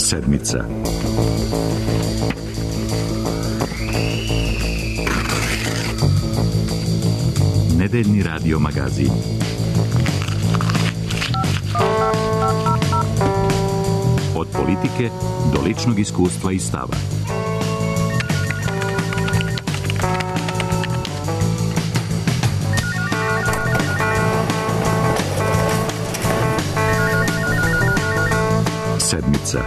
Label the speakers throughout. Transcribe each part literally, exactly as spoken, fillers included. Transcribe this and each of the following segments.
Speaker 1: Sedmica. Nedeljni radio magazin. Od politike do ličnog iskustva i stava. Sedmica.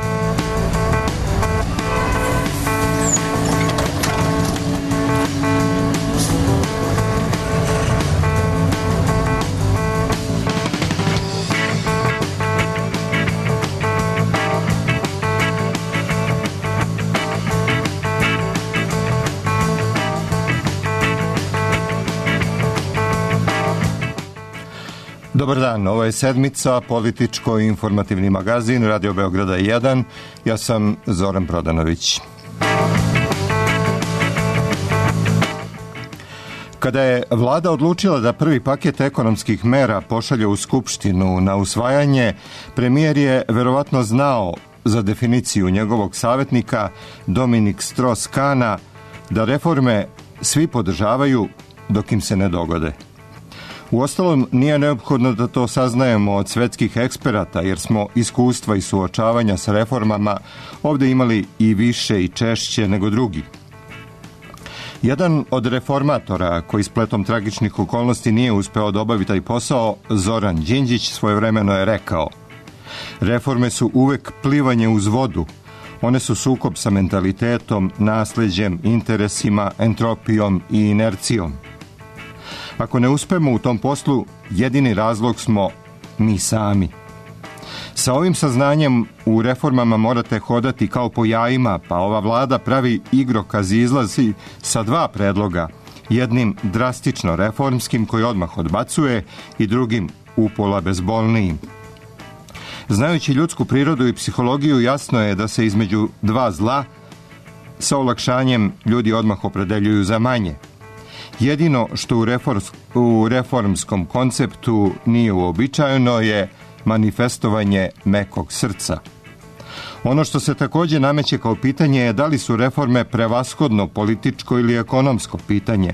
Speaker 2: Dobar dan, ovo je Sedmica, političko-informativni magazin Radio Beograda jedan. Ja sam Zoran Prodanović. Kada je vlada odlučila da prvi paket ekonomskih mera pošalje u Skupštinu na usvajanje, premijer je verovatno znao za definiciju njegovog savjetnika Dominik Strauss-Kahna da reforme svi podržavaju dok im se ne dogode. Uostalom, nije neophodno da to saznajemo od svetskih eksperata, jer smo iskustva i suočavanja sa reformama ovdje imali i više i češće nego drugi. Jedan od reformatora koji spletom tragičnih okolnosti nije uspeo da obavi taj posao, Zoran Đinđić, svojevremeno je rekao: reforme su uvek plivanje uz vodu. One su sukob sa mentalitetom, nasleđem, interesima, entropijom i inercijom. Ako ne uspemo u tom poslu, jedini razlog smo mi sami. Sa ovim saznanjem u reformama morate hodati kao po jajima, pa ova vlada pravi igrokaz i izlazi sa dva predloga. Jednim drastično reformskim koji odmah odbacuje i drugim upola bezbolnijim. Znajući ljudsku prirodu i psihologiju, jasno je da se između dva zla sa olakšanjem ljudi odmah opredeljuju za manje. Jedino što u, reforms, u reformskom konceptu nije uobičajeno je manifestovanje mekog srca. Ono što se također nameće kao pitanje je da li su reforme prevashodno političko ili ekonomsko pitanje.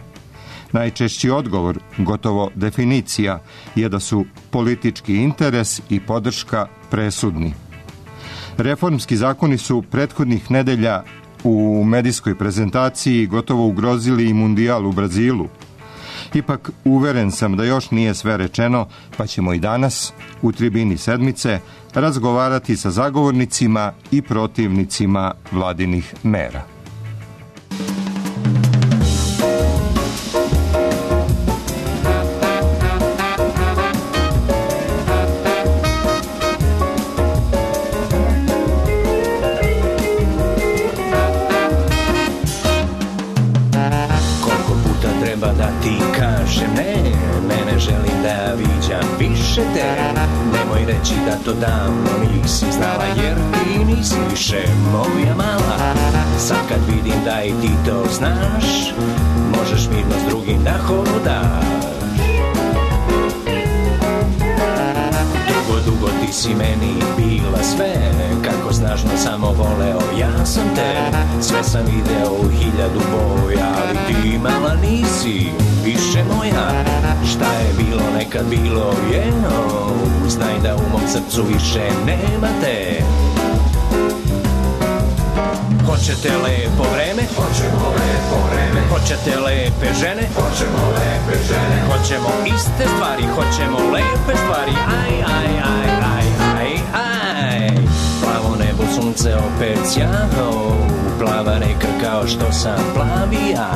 Speaker 2: Najčešći odgovor, gotovo definicija, je da su politički interes i podrška presudni. Reformski zakoni su prethodnih nedelja u medijskoj prezentaciji gotovo ugrozili i mundijal u Brazilu. Ipak uveren sam da još nije sve rečeno, pa ćemo i danas u tribini Sedmice razgovarati sa zagovornicima i protivnicima vladinih mera.
Speaker 3: Nemoj reći da to davno nisi znala, jer ti nisi više moja mala. Sad kad vidim da i ti to znaš, možeš mirno s drugim da hodaš. Dugo, dugo ti si meni bila sve, kako snažno samo voleo ja sam te. Sve sam video u hiljadu boja, ali ti mala nisi više moja. Šta je bilo nekad bilo je, oh, znaj da u mom srcu više nema te. Hoćete lepo vreme?
Speaker 4: Hoćemo lepo vreme.
Speaker 3: Hoćete lepe žene?
Speaker 4: Hoćemo lepe žene.
Speaker 3: Hoćemo iste stvari, hoćemo lepe stvari. Aj, aj, aj, aj, aj, aj. Plavo nebo, sunce opet sjao, plava reka kao što sam plavi ja.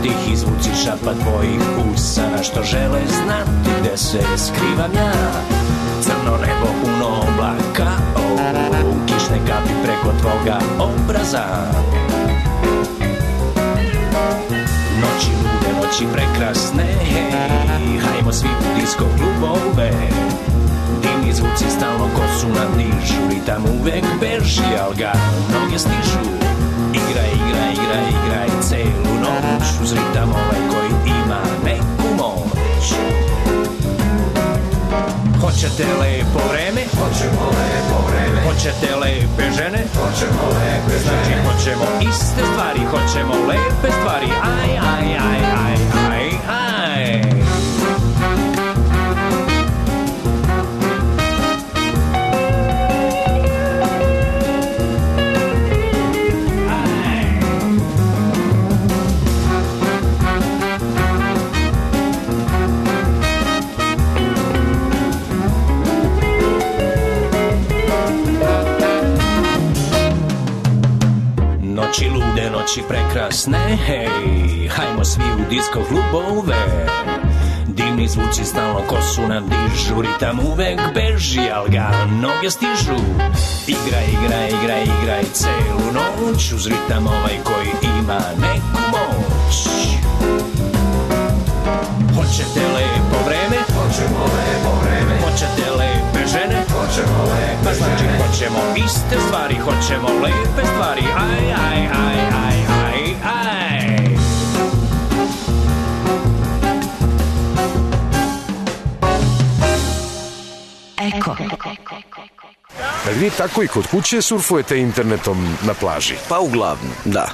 Speaker 3: Tihi zvuci šapa tvojih usana što žele znati gde se skrivam ja. Crno nebo puno oblaka, oh, kišne kapi preko tvoga obraza. Noći lude, noći prekrasne, hej, hajmo svi u disko klubove. Divni zvuci stalno kosu nam dižu, ritam uvek beži, al ga noge stižu. Igraj, igraj, igraj, igraj celu noć, uz ritam ovaj koji ima neku moć. Hoćete lepo vreme?
Speaker 4: Hoćemo lepo vreme.
Speaker 3: Hoćete lepe žene?
Speaker 4: Hoćemo lepe žene.
Speaker 3: Znači hoćemo iste stvari, hoćemo lepe stvari. Aj, aj, aj, aj, aj, aj. Noći lude, noći prekrasne, hej, hajmo svi u disko klubove. Dimni zvuci stalno kosu nam dižu, ritam uvek beži, al ga noge stižu. Igraj, igraj, igraj, igraj celu noć, uz ritam ovaj koji ima neku moć. Hoćete lepo vreme?
Speaker 4: Hoćemo lepo vreme.
Speaker 3: Hoćete lepe žene?
Speaker 4: Hoćemo lepe
Speaker 3: Pa znači
Speaker 4: žene.
Speaker 3: hoćemo iste stvari, hoćemo lepe stvari. Aj, aj, aj, aj, aj, aj.
Speaker 5: Eko.
Speaker 6: Jel vi tako i kod kuće surfujete internetom na plaži?
Speaker 7: Pa uglavnom, da.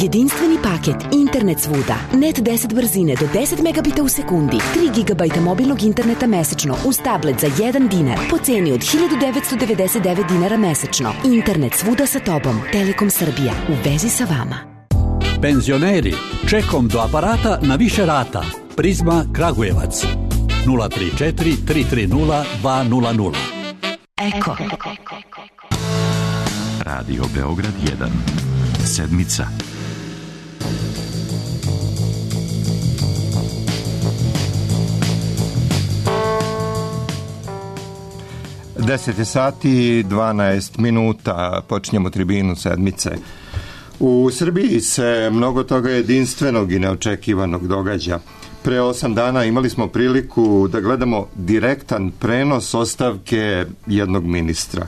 Speaker 5: Jedinstveni paket Internet svuda. Net deset brzine do deset megabita u sekundi. tri gigabajta mobilnog interneta mesečno uz tablet za jedan dinar po ceni od hiljadu devetsto devedeset devet dinara mesečno. Internet svuda sa tobom. Telekom Srbija. U vezi sa vama.
Speaker 8: Penzioneri, čekom do aparata na više rata. Prizma Kragujevac. nula tri četiri tri tri nula dva nula nula.
Speaker 5: Eko.
Speaker 1: Radio Beograd jedan. Sedmica.
Speaker 2: deset je sati, dvanaest minuta, počinjemo tribinu sedmice. U Srbiji se mnogo toga jedinstvenog i neočekivanog događa. Pre osam dana imali smo priliku da gledamo direktan prenos ostavke jednog ministra.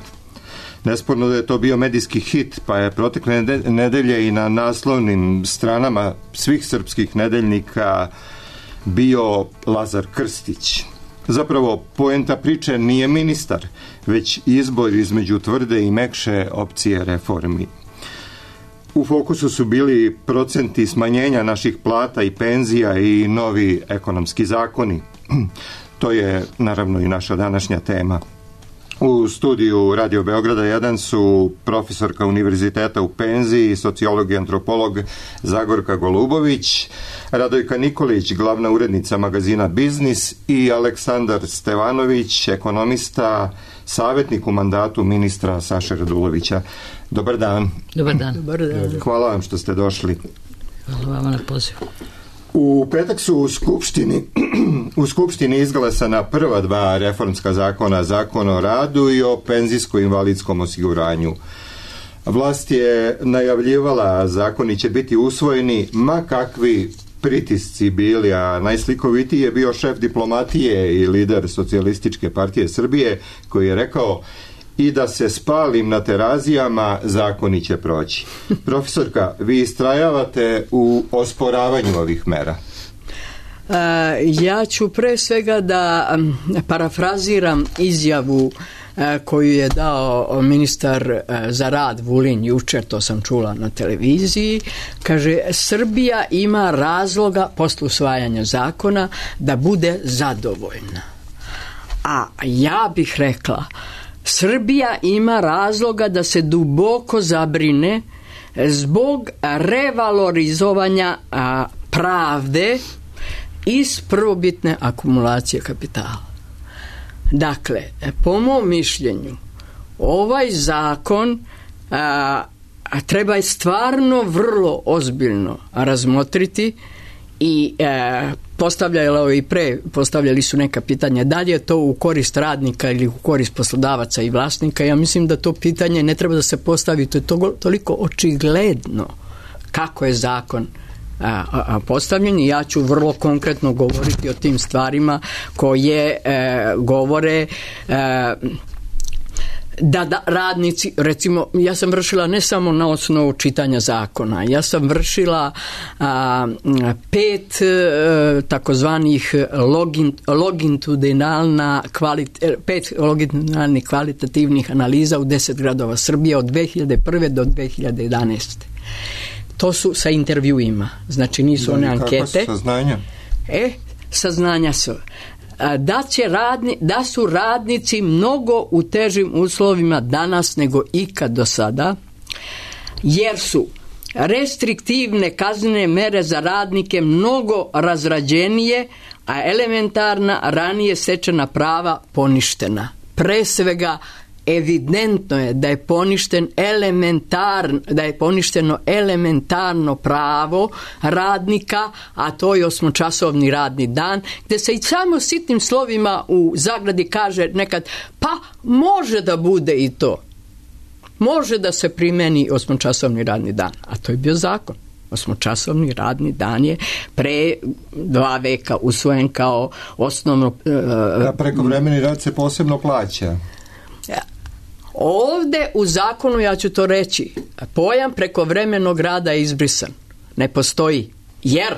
Speaker 2: Nesporno da je to bio medijski hit, pa je protekle nedelje i na naslovnim stranama svih srpskih nedeljnika bio Lazar Krstić. Zapravo, poenta priče nije ministar, već izbor između tvrde i mekše opcije reformi. U fokusu su bili procenti smanjenja naših plata i penzija i novi ekonomski zakoni. To je naravno i naša današnja tema. U studiju Radio Beograda jedan su profesorka univerziteta u penziji, sociolog i antropolog Zagorka Golubović, Radojka Nikolić, glavna urednica magazina Biznis i Aleksandar Stevanović, ekonomista, savjetnik u mandatu ministra Saše Radulovića. Dobar dan.
Speaker 9: Dobar dan. Dobar dan.
Speaker 2: Hvala vam što ste došli.
Speaker 9: Hvala vama na pozivu.
Speaker 2: U petak su u Skupštini, u Skupštini izglasana prva dva reformska zakona, Zakon o radu i o penzijsko-invalidskom osiguranju. Vlast je najavljivala zakoni će biti usvojeni ma kakvi pritisci bili, a najslikovitiji je bio šef diplomatije i lider Socijalističke partije Srbije koji je rekao i da se spalim na terazijama, zakoni će proći. Profesorka, vi istrajavate u osporavanju ovih mera.
Speaker 9: Uh, ja ću pre svega da um, parafraziram izjavu uh, koju je dao ministar uh, za rad Vulin jučer, to sam čula na televiziji. Kaže, Srbija ima razloga posle usvajanja zakona da bude zadovoljna. A ja bih rekla, Srbija ima razloga da se duboko zabrine zbog revalorizovanja a, pravde iz prvobitne akumulacije kapitala. Dakle, po mom mišljenju, ovaj zakon a, a treba je stvarno vrlo ozbiljno razmotriti i e, postavljali i pre postavljali su neka pitanja da li je to u korist radnika ili u korist poslodavaca i vlasnika. Ja mislim da to pitanje ne treba da se postavi, to je to, toliko očigledno kako je zakon a, a, postavljen i ja ću vrlo konkretno govoriti o tim stvarima koje e, govore e, da, da radnici, recimo, ja sam vršila ne samo na osnovu čitanja zakona, ja sam vršila a, pet a, takozvanih login, longitudinalna kvalit, pet longitudinalnih kvalitativnih analiza u deset gradova Srbije od dve hiljade prve do dve hiljade jedanaeste. To su sa intervjuima, znači nisu
Speaker 2: da,
Speaker 9: one ankete.
Speaker 2: Kako su saznanja?
Speaker 9: E, saznanja su da, će radni, da su radnici mnogo u težim uslovima danas nego ikad do sada, jer su restriktivne kaznene mere za radnike mnogo razrađenije, a elementarna ranije stečena prava poništena. Pre svega evidentno je da je poništen elementarno, da je poništeno elementarno pravo radnika, a to je osmočasovni radni dan, gde se i samo sitnim slovima u zagradi kaže nekad, pa može da bude i to. Može da se primeni osmočasovni radni dan, a to je bio zakon. Osmočasovni radni dan je pre dva veka usvojen kao osnovno...
Speaker 2: Da, prekovremeni rad se posebno plaća.
Speaker 9: Ovde u zakonu, ja ću to reći, pojam prekovremenog rada je izbrisan. Ne postoji. Jer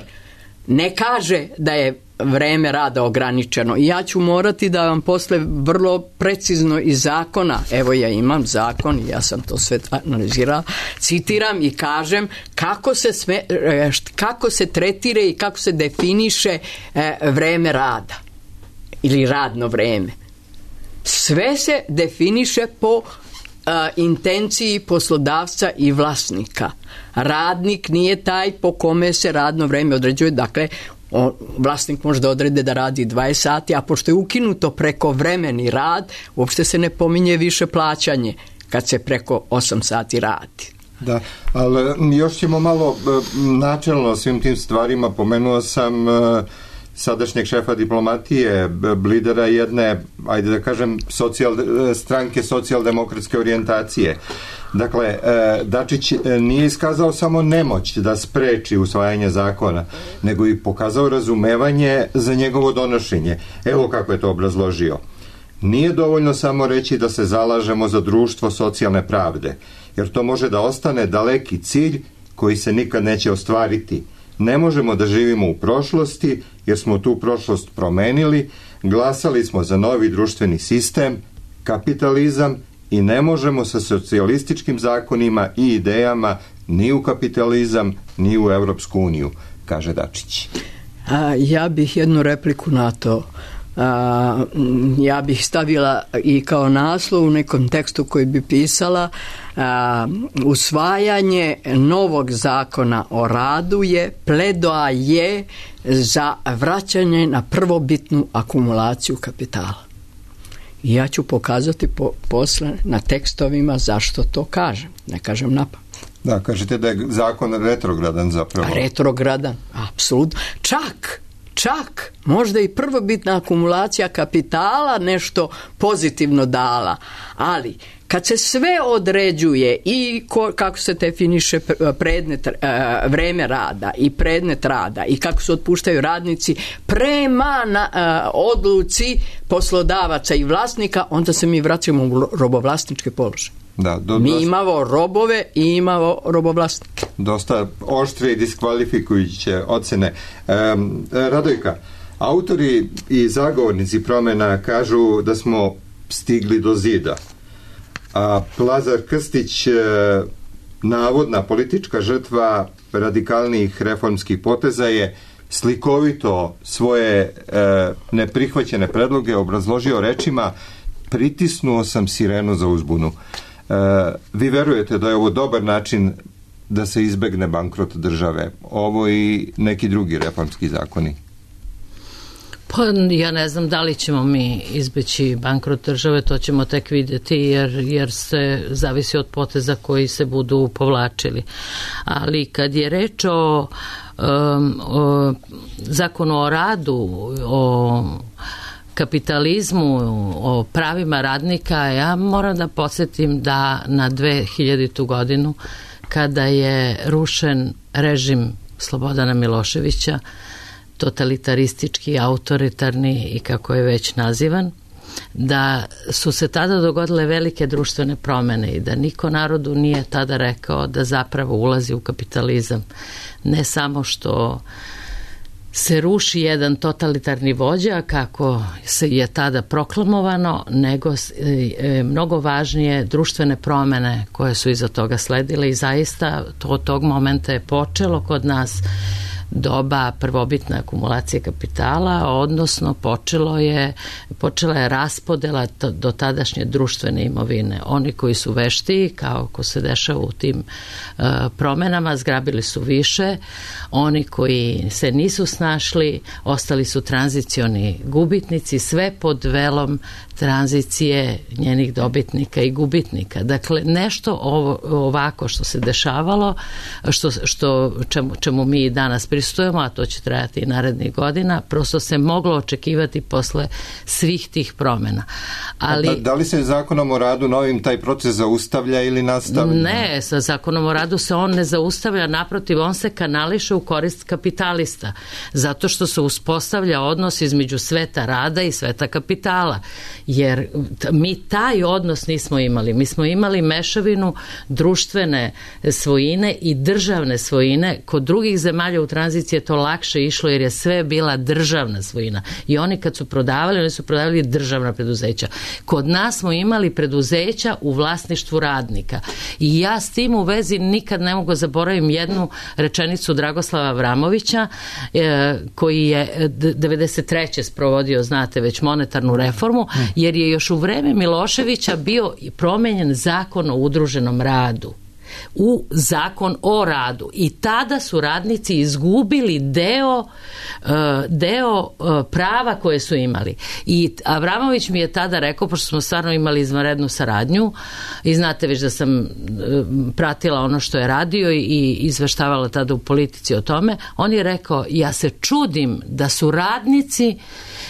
Speaker 9: ne kaže da je vreme rada ograničeno. I ja ću morati da vam posle vrlo precizno iz zakona, evo ja imam zakon i ja sam to sve analizirala, citiram i kažem kako se, sme, kako se tretira i kako se definiše vreme rada ili radno vreme. Sve se definiše po a, intenciji poslodavca i vlasnika. Radnik nije taj po kome se radno vreme određuje, dakle on, vlasnik može da odrede da radi dvadeset sati, a pošto je ukinuto prekovremeni rad, uopšte se ne pominje više plaćanje kad se preko osam sati radi.
Speaker 2: Da, ali još ćemo malo načelno svim tim stvarima. Pomenuo sam sadašnjeg šefa diplomatije, lidera jedne, ajde da kažem, socijal, stranke socijaldemokratske orijentacije. Dakle, Dačić nije iskazao samo nemoć da spreči usvajanje zakona, nego i pokazao razumevanje za njegovo donošenje. Evo kako je to obrazložio. Nije dovoljno samo reći da se zalažemo za društvo socijalne pravde, jer to može da ostane daleki cilj koji se nikad neće ostvariti. Ne možemo da živimo u prošlosti, jer smo tu prošlost promenili, glasali smo za novi društveni sistem, kapitalizam, i ne možemo sa socijalističkim zakonima i idejama ni u kapitalizam, ni u Evropsku uniju, kaže Dačić.
Speaker 9: A, ja bih jednu repliku na to. A, ja bih stavila i kao naslov u nekom tekstu koji bi pisala a, usvajanje novog zakona o radu je pledoaje za vraćanje na prvobitnu akumulaciju kapitala. I ja ću pokazati po, posle na tekstovima zašto to kažem. Ne kažem napamet.
Speaker 2: Da, kažete da je zakon retrogradan zapravo.
Speaker 9: Retrogradan, apsolutno. Čak, čak, možda i prvobitna akumulacija kapitala nešto pozitivno dala, ali kad se sve određuje i ko, kako se definiše predmet, vreme rada i predmet rada i kako se otpuštaju radnici prema na, odluci poslodavaca i vlasnika, onda se mi vraćamo u robovlasničke položaje.
Speaker 2: Da, do,
Speaker 9: mi
Speaker 2: dosta,
Speaker 9: imamo robove i imamo robovlasnike.
Speaker 2: Dosta oštre i diskvalifikujuće ocene. Um, Radojka, autori i zagovornici promjena kažu da smo stigli do zida. A Lazar Krstić, navodna politička žrtva radikalnih reformskih poteza, je slikovito svoje e, neprihvaćene predloge obrazložio rečima: pritisnuo sam sirenu za uzbunu. E, vi verujete da je ovo dobar način da se izbegne bankrot države? Ovo i neki drugi reformski zakoni?
Speaker 7: Pa ja ne znam da li ćemo mi izbeći bankrot države, to ćemo tek vidjeti, jer, jer se zavisi od poteza koji se budu povlačili. Ali kad je reč o, um, o zakonu o radu, o kapitalizmu, o pravima radnika, ja moram da podsjetim da na dve hiljadite godinu, kada je rušen režim Slobodana Miloševića, totalitaristički, autoritarni i kako je već nazivan, da su se tada dogodile velike društvene promene i da niko narodu nije tada rekao da zapravo ulazi u kapitalizam. Ne samo što se ruši jedan totalitarni vođa kako se je tada proklamovano, nego e, mnogo važnije društvene promene koje su iza toga sledile i zaista to od tog momenta je počelo kod nas doba prvobitne akumulacije kapitala, odnosno počelo je, počela je raspodela to, do tadašnje društvene imovine. Oni koji su veštiji, kao ko se dešava u tim uh, promenama, zgrabili su više, oni koji se nisu snašli, ostali su tranzicioni gubitnici, sve pod velom tranzicije njenih dobitnika i gubitnika. Dakle, nešto ovo, ovako što se dešavalo, što, što, čemu, čemu mi danas pristujemo, a to će trajati i narednih godina, prosto se moglo očekivati posle svih tih promena. Ali,
Speaker 2: da, da li se zakonom o radu novim taj proces zaustavlja ili nastavlja?
Speaker 7: Ne, sa zakonom o radu se on ne zaustavlja, naprotiv, on se kanališe u korist kapitalista, zato što se uspostavlja odnos između sveta rada i sveta kapitala. Jer mi taj odnos nismo imali. Mi smo imali mešavinu društvene svojine i državne svojine. Kod drugih zemalja u tranziciji je to lakše išlo jer je sve bila državna svojina. I oni kad su prodavali, oni su prodavali državna preduzeća. Kod nas smo imali preduzeća u vlasništvu radnika. I ja s tim u vezi nikad ne mogu zaboravim jednu rečenicu Dragoslava Avramovića e, koji je devedeset treće sprovodio, znate, već monetarnu reformu, jer je još u vreme Miloševića bio promenjen zakon o udruženom radu u zakon o radu i tada su radnici izgubili deo deo prava koje su imali. I Avramović mi je tada rekao, pošto smo stvarno imali izvanrednu saradnju i znate već da sam pratila ono što je radio i izveštavala tada u Politici o tome, on je rekao, ja se čudim da su radnici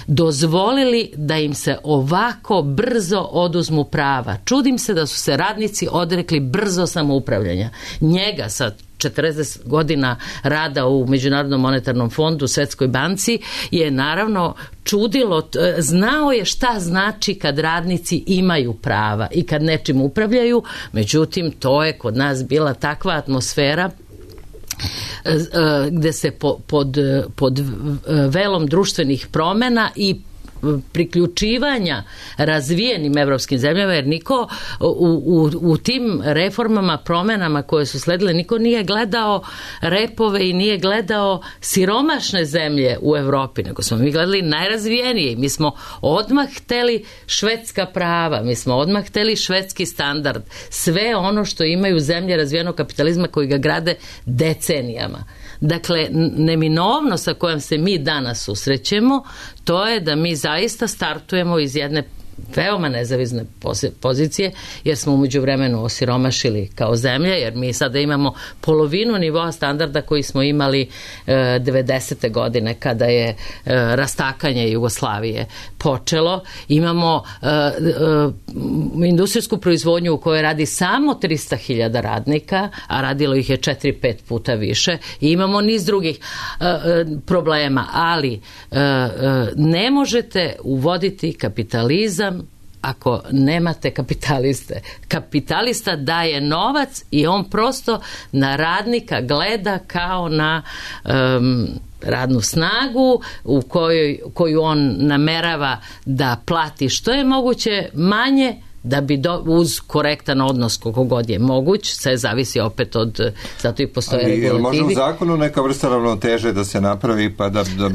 Speaker 7: dozvolili da im se ovako brzo oduzmu prava. Čudim se da su se radnici odrekli brzo samoupravljanja. Njega sa četrdeset godina rada u Međunarodnom monetarnom fondu, Svetskoj banci, je naravno čudilo, znao je šta znači kad radnici imaju prava i kad nečim upravljaju, međutim to je kod nas bila takva atmosfera gde se po, pod, pod velom društvenih promena i priključivanja razvijenim evropskim zemljama, jer niko u, u, u tim reformama, promenama koje su sledile, niko nije gledao repove i nije gledao siromašne zemlje u Evropi, nego smo mi gledali najrazvijenije. Mi smo odmah hteli švedska prava, mi smo odmah hteli švedski standard, sve ono što imaju zemlje razvijenog kapitalizma koji ga grade decenijama. Dakle, neminovno sa kojom se mi danas susrećemo, to je da mi zaista startujemo iz jedne veoma nezavisne pozicije, jer smo umeđu vremenu osiromašili kao zemlja, jer mi sada imamo polovinu nivoa standarda koji smo imali e, devedesete godine kada je e, rastakanje Jugoslavije počelo. Imamo e, e, industrijsku proizvodnju u kojoj radi samo trista hiljada radnika, a radilo ih je četiri pet puta više. I imamo niz drugih e, e, problema, ali e, e, ne možete uvoditi kapitalizam ako nemate kapitaliste. Kapitalista daje novac i on prosto na radnika gleda kao na um, radnu snagu u kojoj, koju on namerava da plati što je moguće manje, da bi do, uz korektan odnos koliko god je moguć, sve zavisi opet od, zato i postoje
Speaker 2: ali,
Speaker 7: regulativi.
Speaker 2: Ali može u zakonu neka vrsta ravnoteže da se napravi pa da, da...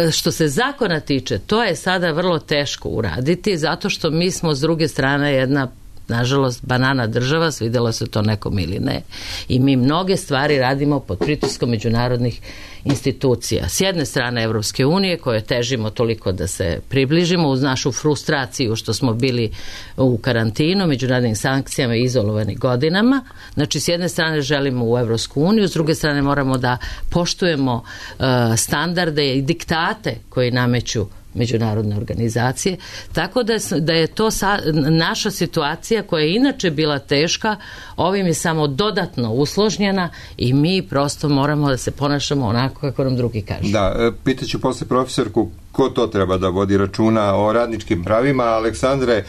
Speaker 7: E, što se zakona tiče, to je sada vrlo teško uraditi, zato što mi smo s druge strane jedna, nažalost, banana država, svidjelo se to nekom ili ne, i mi mnoge stvari radimo pod pritiskom međunarodnih institucija. S jedne strane Evropske unije, koje težimo toliko da se približimo uz našu frustraciju što smo bili u karantinu, međunarodnim sankcijama i izolovani godinama. Znači, s jedne strane želimo u Evropsku uniju, s druge strane moramo da poštujemo uh, standarde i diktate koji nameću međunarodne organizacije. Tako da, da je to sa, naša situacija koja je inače bila teška, ovim je samo dodatno usložnjena i mi prosto moramo da se ponašamo onako kako nam drugi kažu.
Speaker 2: Da, pitaću posle profesorku ko to treba da vodi računa o radničkim pravima. Aleksandre,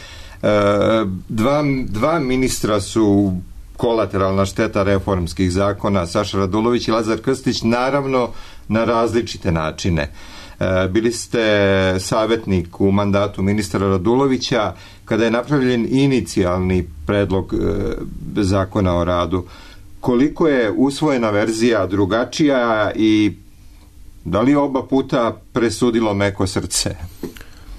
Speaker 2: dva, dva ministra su kolateralna šteta reformskih zakona, Saša Radulović i Lazar Krstić, naravno na različite načine. Bili ste savjetnik u mandatu ministra Radulovića kada je napravljen inicijalni predlog zakona o radu. Koliko je usvojena verzija drugačija i da li oba puta presudilo meko srce?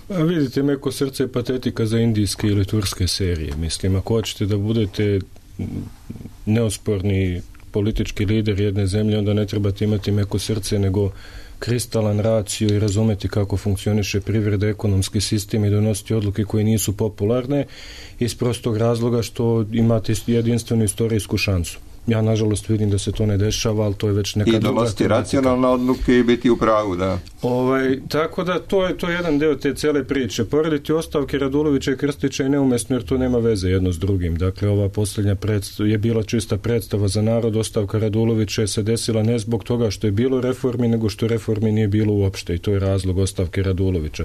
Speaker 10: A vidite, meko srce je patetika za indijske ili turske serije. Mislim, ako hoćete da budete neosporni politički lider jedne zemlje, onda ne trebate imati meko srce, nego kristalan raciju i razumeti kako funkcioniše privreda, ekonomski sistem i donositi odluke koje nisu popularne iz prostog razloga što imate jedinstvenu istorijsku šansu. Ja, nažalost, vidim da se to ne dešava, ali to je već neka
Speaker 2: druga tematika. I donositi racionalne odluke i biti u pravu, da.
Speaker 10: Ovaj, tako da to je to je jedan deo te cele priče. Porediti ostavke Radulovića i Krstića je neumesno jer to nema veze jedno s drugim. Dakle, ova posljednja predstava je bila čista predstava za narod. Ostavka Radulovića je se desila ne zbog toga što je bilo reformi, nego što reformi nije bilo uopšte i to je razlog ostavke Radulovića.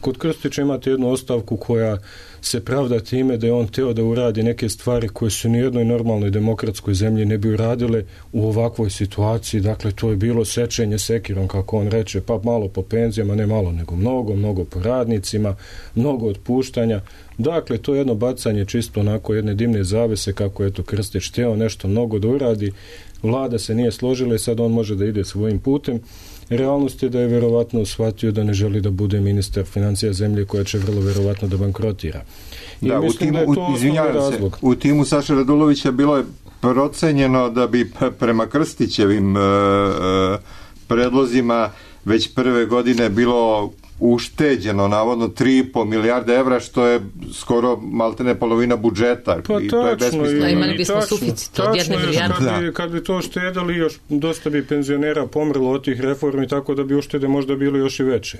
Speaker 10: Kod Krstića imate jednu ostavku koja se pravda time da je on teo da uradi neke stvari koje su ni jednoj normalnoj demokratskoj zemlji ne bi uradile u ovakvoj situaciji. Dakle, to je bilo sečenje sekirom, kako on reče, pa malo po penzijama, ne malo, nego mnogo, mnogo po radnicima, mnogo otpuštanja. Dakle, to je jedno bacanje čisto onako jedne dimne zavese kako je to Krstić teo nešto mnogo da uradi. Vlada se nije složila i sad on može da ide svojim putem. Realnost je da je verovatno shvatio da ne želi da bude ministar financija zemlje koja će vrlo verovatno da bankrotira. I
Speaker 2: da,
Speaker 10: mislim
Speaker 2: u timu,
Speaker 10: da je to
Speaker 2: izvinjavam se,
Speaker 10: razlog.
Speaker 2: U timu Saša Radulovića bilo je procenjeno da bi prema Krstićevim e, e, predlozima već prve godine bilo ušteđeno navodno tri i po milijarde evra, što je skoro maltene polovina budžeta.
Speaker 10: Pa
Speaker 2: i to je besmisleno.
Speaker 7: Imali bismo suficit od jedne milijarde.
Speaker 10: Kad bi, kad bi to štedali, još dosta bi penzionera pomrlo od tih reformi, tako da bi uštede možda bilo još i veće.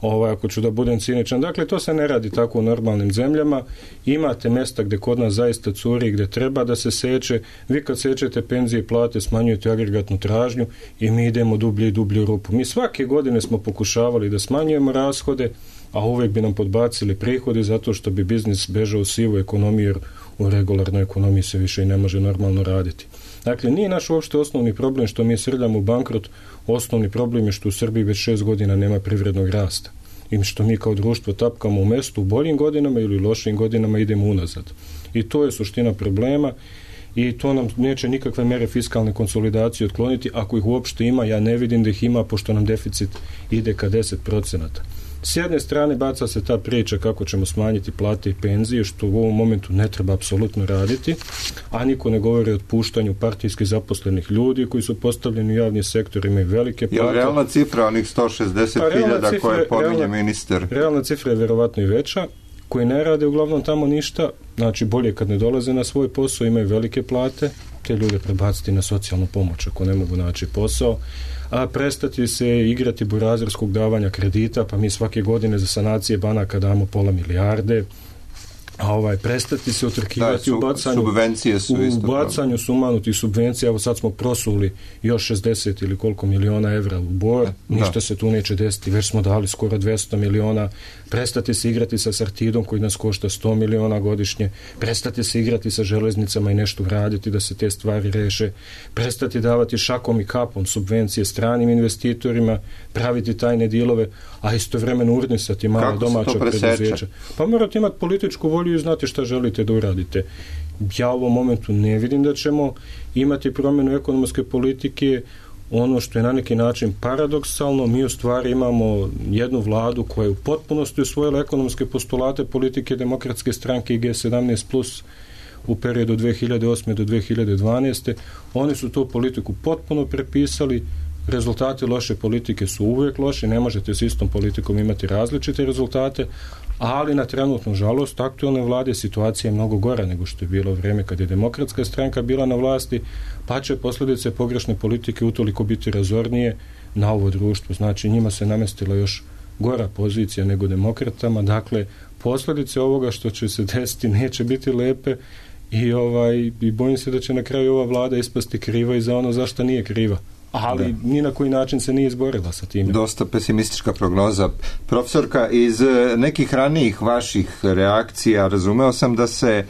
Speaker 10: Ovaj, ako ću da budem ciničan. Dakle, to se ne radi tako u normalnim zemljama. Imate mesta gde kod nas zaista curi, gde treba da se seče. Vi kad sečete penzije i plate, smanjujete agregatnu tražnju i mi idemo dublje i dublje u rupu. Mi svake godine smo pokušavali da smanjujemo rashode, a uvek bi nam podbacili prihodi zato što bi biznis bežao u sivu ekonomiju, jer u regularnoj ekonomiji se više i ne može normalno raditi. Dakle, nije naš uopšte osnovni problem što mi srljamo u bankrot, osnovni problem je što u Srbiji već šest godina nema privrednog rasta i što mi kao društvo tapkamo u mestu u boljim godinama ili lošim godinama idemo unazad. I to je suština problema i to nam neće nikakve mere fiskalne konsolidacije otkloniti. Ako ih uopšte ima, ja ne vidim da ih ima, pošto nam deficit ide ka deset procenata. S jedne strane baca se ta priča kako ćemo smanjiti plate i penzije, što u ovom momentu ne treba apsolutno raditi, a niko ne govori o otpuštanju partijski zaposlenih ljudi koji su postavljeni u javni sektor, imaju velike plate.
Speaker 2: Je li realna cifra onih sto šezdeset hiljada koje pominje
Speaker 10: realna,
Speaker 2: ministar?
Speaker 10: Realna cifra je verovatno i veća, koji ne rade uglavnom tamo ništa, znači bolje kad ne dolaze na svoj posao, imaju velike plate, te ljude prebaciti na socijalnu pomoć ako ne mogu naći posao, a prestati se igrati burazerskog davanja kredita, pa mi svake godine za sanacije banaka damo pola milijarde, a ovaj, prestati se utrkivati
Speaker 2: da,
Speaker 10: u bacanju,
Speaker 2: subvencije su
Speaker 10: u bacanju sumanutih subvencija. Evo sad smo prosuli još šezdeset ili koliko miliona evra u bor, ništa da. se tu neće desiti, već smo dali skoro dvesta miliona. Prestati se igrati sa Sartidom koji nas košta sto miliona godišnje, prestati se igrati sa železnicama i nešto raditi da se te stvari reše, prestati davati šakom i kapom subvencije stranim investitorima, praviti tajne dilove, a istovremeno urnisati mala domaća preduzeća. Pa morate imati političku volju i znate šta želite da uradite. Ja u ovom momentu ne vidim da ćemo imati promjenu ekonomske politike. Ono što je na neki način paradoksalno, mi u stvari imamo jednu vladu koja je u potpunosti usvojila ekonomske postulate politike Demokratske stranke i G sedamnaest plus u periodu dve hiljade osme do dve hiljade dvanaeste. Oni su tu politiku potpuno prepisali. Rezultati loše politike su uvijek loši, ne možete s istom politikom imati različite rezultate, ali na trenutnu žalost aktualne vlade situacija je mnogo gora nego što je bilo vrijeme kad je Demokratska stranka bila na vlasti, pa će posljedice pogrešne politike utoliko biti razornije na ovo društvo. Znači njima se namestila još gora pozicija nego demokratama. Dakle, posljedice ovoga što će se desiti neće biti lepe i, ovaj, i bojim se da će na kraju ova vlada ispasti kriva i za ono zašto nije kriva. Ali da. Ni na koji način se nije izborila sa time.
Speaker 2: Dosta pesimistička prognoza. Profesorka, iz nekih ranijih vaših reakcija razumeo sam da se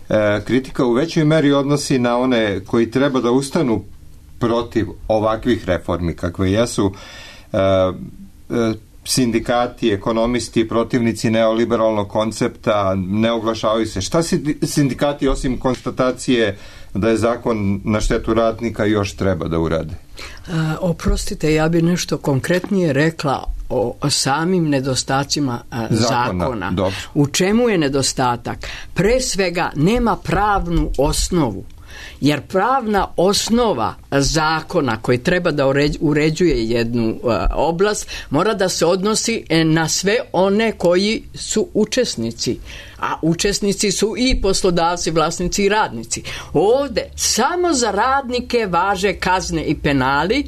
Speaker 2: e, kritika u većoj meri odnosi na one koji treba da ustanu protiv ovakvih reformi kakve jesu e, e, sindikati, ekonomisti, protivnici neoliberalnog koncepta, ne oglašavaju se. Šta sindikati osim konstatacije da je zakon na štetu radnika još treba da urade?
Speaker 9: A, oprostite, ja bi nešto konkretnije rekla o, o samim nedostacima a, zakona. zakona.
Speaker 2: Dobro.
Speaker 9: U čemu je nedostatak? Pre svega nema pravnu osnovu. Jer pravna osnova zakona koji treba da uređuje jednu uh, oblast mora da se odnosi na sve one koji su učesnici. A učesnici su i poslodavci, vlasnici i radnici. Ovde samo za radnike važe kazne i penali,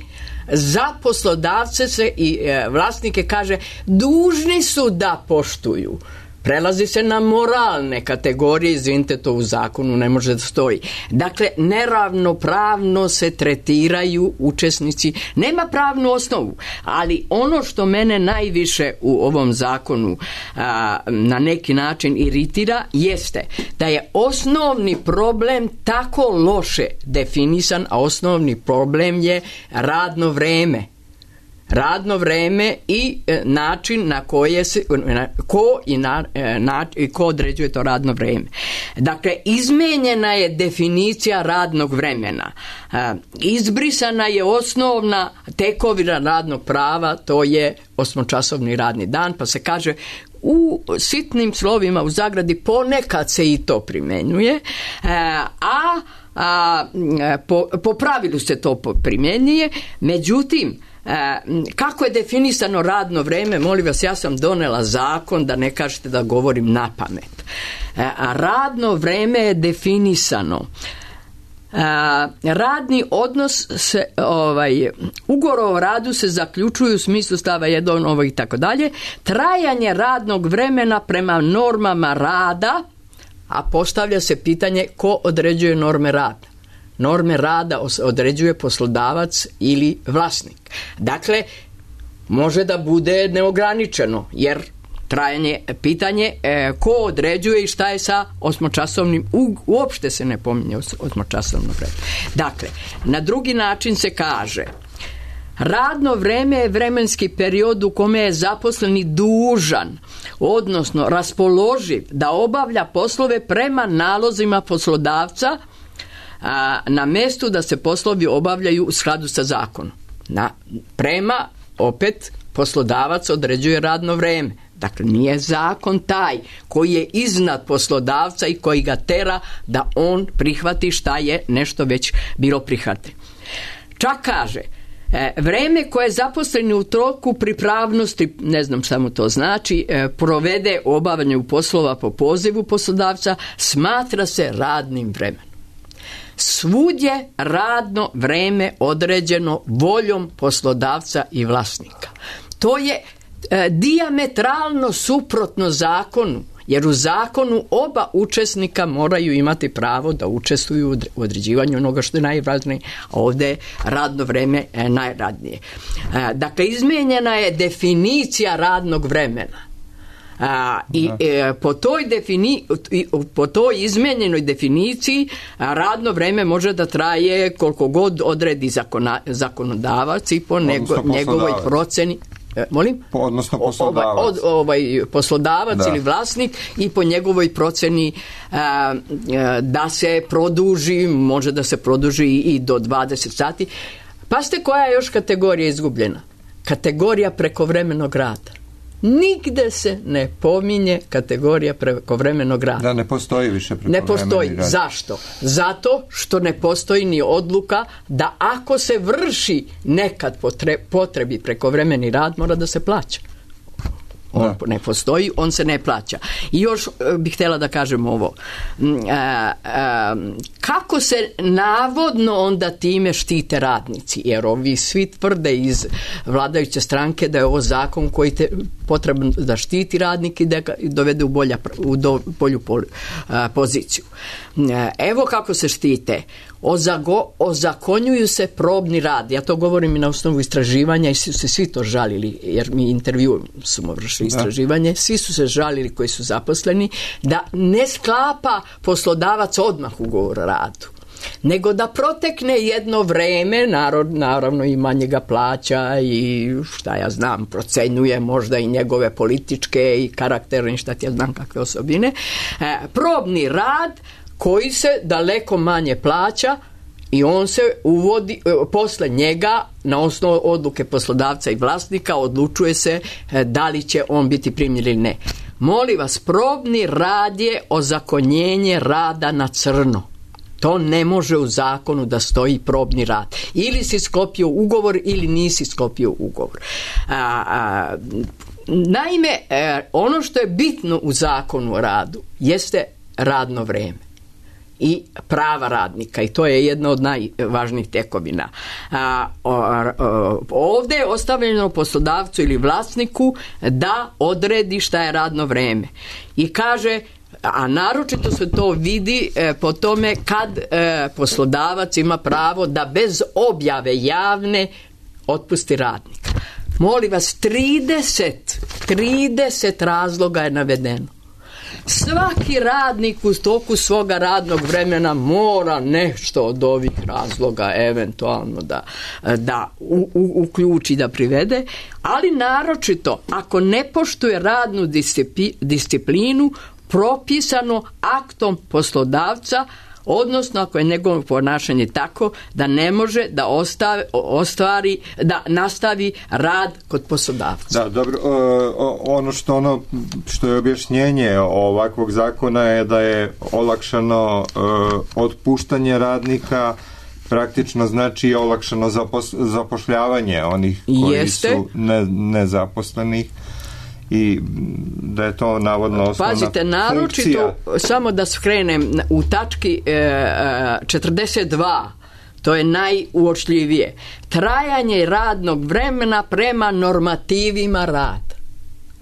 Speaker 9: za poslodavce se i uh, vlasnike kaže dužni su da poštuju. Prelazi se na moralne kategorije, izvinite, to u zakonu ne može da stoji. Dakle, neravnopravno se tretiraju učesnici, nema pravnu osnovu, ali ono što mene najviše u ovom zakonu a, na neki način iritira jeste da je osnovni problem tako loše definisan, a osnovni problem je radno vreme. Radno vreme i e, način na koje se na, ko i na, e, na, ko određuje to radno vreme. Dakle, izmenjena je definicija radnog vremena. E, izbrisana je osnovna tekovina radnog prava, to je osmočasovni radni dan, pa se kaže u sitnim slovima u zagradi ponekad se i to primenjuje, e, a, a po, po pravilu se to primjenjuje, međutim, E, kako je definisano radno vreme, molim vas, ja sam donela zakon, da ne kažete da govorim na pamet. E, a radno vreme je definisano. E, radni odnos se, ovaj, ugovor o radu se zaključuju u smislu stava jedan ovo i tako dalje. Trajanje radnog vremena prema normama rada, a postavlja se pitanje ko određuje norme rada. Norme rada određuje poslodavac ili vlasnik. Dakle, može da bude neograničeno, jer trajanje pitanje e, ko određuje i šta je sa osmočasovnim, u, uopšte se ne pominje osmočasovno vreme. Dakle, na drugi način se kaže, radno vreme je vremenski period u kome je zaposleni dužan, odnosno raspoloživ da obavlja poslove prema nalozima poslodavca, a, na mestu da se poslovi obavljaju u skladu sa zakonom. Na, prema, opet, poslodavac određuje radno vreme. Dakle, nije zakon taj koji je iznad poslodavca i koji ga tera da on prihvati šta je nešto već bilo prihvatio. Čak kaže, e, vreme koje zaposleni u toku pripravnosti, ne znam šta mu to znači, e, provede u obavljanju poslova po pozivu poslodavca, smatra se radnim vremenom. Svudje radno vreme određeno voljom poslodavca i vlasnika. To je e, dijametralno suprotno zakonu, jer u zakonu oba učesnika moraju imati pravo da učestvuju u određivanju onoga što je najvažnije, a ovdje je radno vreme e, najradnije. E, dakle, izmijenjena je definicija radnog vremena. A, i e, po toj defini, po toj izmenjenoj definiciji a, radno vreme može da traje koliko god odredi zakona, zakonodavac i po nego, njegovoj proceni. E, molim?
Speaker 2: Po, odnosno poslodavac.
Speaker 9: Ovaj, od, ovaj, poslodavac da. Ili vlasnik i po njegovoj proceni a, a, da se produži, može da se produži i do dvadeset sati. Pazite koja je još kategorija izgubljena? Kategorija prekovremenog rada. Nigde se ne pominje kategorija prekovremenog rada.
Speaker 2: Da, ne postoji više prekovremeni rad.
Speaker 9: Ne postoji. Rad. Zašto? Zato što ne postoji ni odluka da ako se vrši nekad potrebi prekovremeni rad, mora da se plaća. On da. Ne postoji, on se ne plaća. I još bih htjela da kažem ovo. kako se navodno onda time štite radnici, jer ovi svi tvrde iz vladajuće stranke da je ovo zakon koji te potrebno da štiti radnike i da ga dovede u, bolja, u do, bolju pol, a, poziciju. Evo kako se štite. Ozago, ozakonjuju se probni rad. Ja to govorim i na osnovu istraživanja i su se svi to žalili, jer mi intervju smo vršili istraživanje, svi su se žalili koji su zaposleni da ne sklapa poslodavac odmah ugovor o radu, nego da protekne jedno vreme, narod, naravno i manje ga plaća i šta ja znam, procenjuje možda i njegove političke i karakterne, šta ti ja znam kakve osobine, e, probni rad koji se daleko manje plaća i on se uvodi, posle njega na osnovu odluke poslodavca i vlasnika odlučuje se da li će on biti primljen ili ne. Molim vas, probni rad je ozakonjenje rada na crno. To ne može u zakonu da stoji probni rad. Ili si sklopio ugovor ili nisi sklopio ugovor. A, a, naime, ono što je bitno u zakonu o radu jeste radno vreme i prava radnika, i to je jedna od najvažnijih tekovina. A, o, o, ovdje je ostavljeno poslodavcu ili vlasniku da odredi šta je radno vreme. I kaže, a naročito se to vidi e, po tome kad e, poslodavac ima pravo da bez objave javne otpusti radnika. Molim vas, trideset, trideset razloga je navedeno. Svaki radnik u toku svoga radnog vremena mora nešto od ovih razloga eventualno da, da u, u, uključi, da privede, ali naročito ako ne poštuje radnu disciplinu propisano aktom poslodavca, odnosno ako je njegovo ponašanje tako da ne može da ostavi, ostvari, da nastavi rad kod poslodavca.
Speaker 2: Da, dobro, ono što ono što je objašnjenje ovakvog zakona je da je olakšano otpuštanje radnika, praktično znači olakšano zapošljavanje onih koji Jeste. su ne, nezaposlenih. I da je to navodno osnovna
Speaker 9: Pazite, naročito, samo da skrenem u tački e, četrdeset dva, to je najuočljivije. Trajanje radnog vremena prema normativima rada.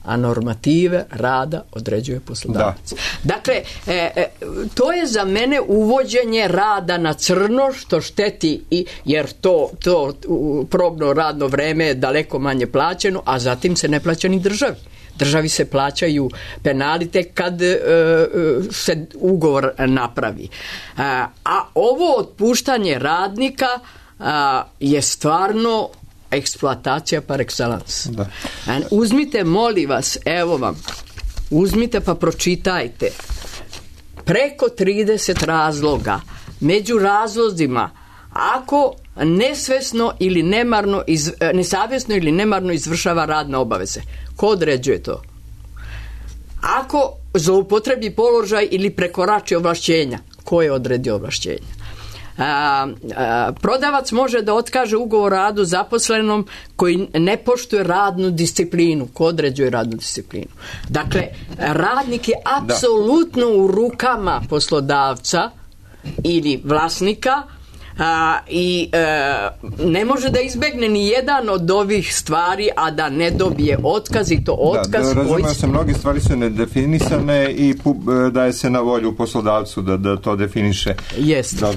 Speaker 9: A normative rada određuje poslodavac. Da. Dakle, e, e, to je za mene uvođenje rada na crno, što šteti, i, jer to, to probno radno vreme je daleko manje plaćeno, a zatim se ne plaća ni državi. Državi se plaćaju penali tek kad e, se ugovor napravi. A, a ovo otpuštanje radnika a, je stvarno eksploatacija par excellence. Da. Uzmite, molim vas, evo vam, uzmite pa pročitajte. Preko trideset razloga. Među razlozima, ako nesvesno ili nemarno, iz, nesavjesno ili nemarno izvršava radne obaveze. Ko određuje to? Ako zloupotrebi položaj ili prekorači ovlašćenja. Ko je odredio ovlašćenja? A, a, prodavac može da otkaže ugovor o radu zaposlenom koji ne poštuje radnu disciplinu. Ko određuje radnu disciplinu? Dakle, radnik je apsolutno u rukama poslodavca ili vlasnika, a, i e, ne može da izbegne ni jedan od ovih stvari, a da ne dobije otkaz, i to otkaz.
Speaker 2: Da, da razumio koji... se, mnogi stvari su nedefinisane i daje se na volju poslodavcu da, da to definiše.
Speaker 9: Jeste.
Speaker 2: E,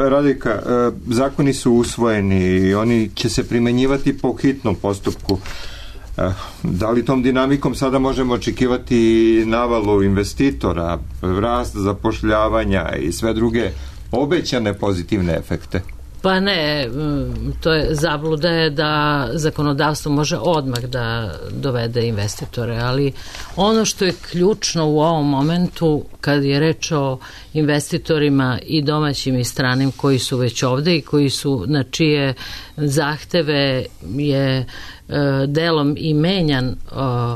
Speaker 2: Radika, e, zakoni su usvojeni i oni će se primenjivati po hitnom postupku. E, da li tom dinamikom sada možemo očekivati navalu investitora, rast zapošljavanja i sve druge obećane pozitivne efekte?
Speaker 7: Pa ne, to je zabluda je da zakonodavstvo može odmah da dovede investitore, ali ono što je ključno u ovom momentu kad je reč o investitorima i domaćim i stranim koji su već ovde i koji su, na čije zahteve je delom i menjan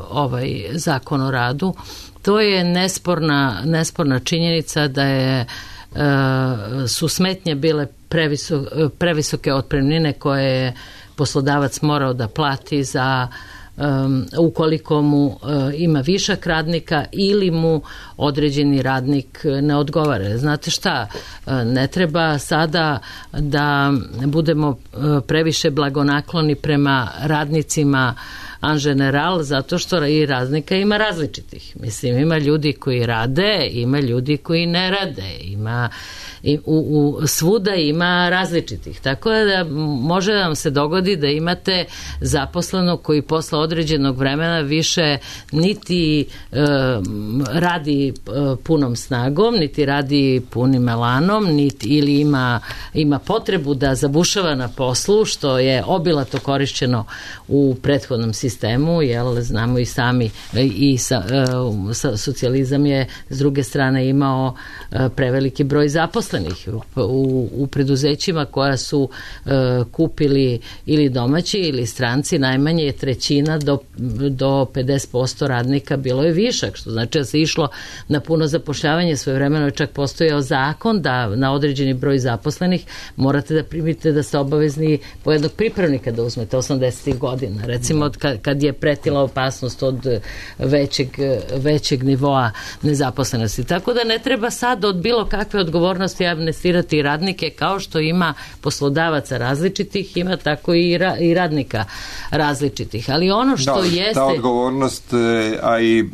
Speaker 7: ovaj zakon o radu, to je nesporna, nesporna činjenica da je su smetnje bile previso, previsoke otpremnine koje je poslodavac morao da plati za um, ukoliko mu uh, ima višak radnika ili mu određeni radnik ne odgovara. Znate šta, uh, ne treba sada da budemo uh, previše blagonakloni prema radnicima en general, zato što i radnika ima različitih. Mislim, ima ljudi koji rade, ima ljudi koji ne rade, ima i u, u, svuda ima različitih. Tako da može da vam se dogodi da imate zaposlenog koji posle određenog vremena više niti e, radi e, punom snagom, niti radi punim elanom, niti, ili ima, ima potrebu da zabušava na poslu, što je obilato korišćeno u prethodnom sistemu, jel znamo i sami i sa, e, sa, socijalizam je s druge strane imao e, preveliki broj zaposlenih u, u preduzećima koja su e, kupili ili domaći ili stranci, najmanje je trećina do, do pedeset posto radnika bilo je višak, što znači da se išlo na puno zapošljavanje. Svojevremeno je čak postojao zakon da na određeni broj zaposlenih morate da primite da ste obavezni po jednog pripravnika da uzmete osamdesetih godina. Recimo kad, kad je pretila opasnost od većeg, većeg nivoa nezaposlenosti. Tako da ne treba sad od bilo kakve odgovornosti amnestirati radnike, kao što ima poslodavaca različitih, ima tako i, ra, i radnika različitih. Ali ono što
Speaker 2: da,
Speaker 7: jeste...
Speaker 2: Ta odgovornost, a i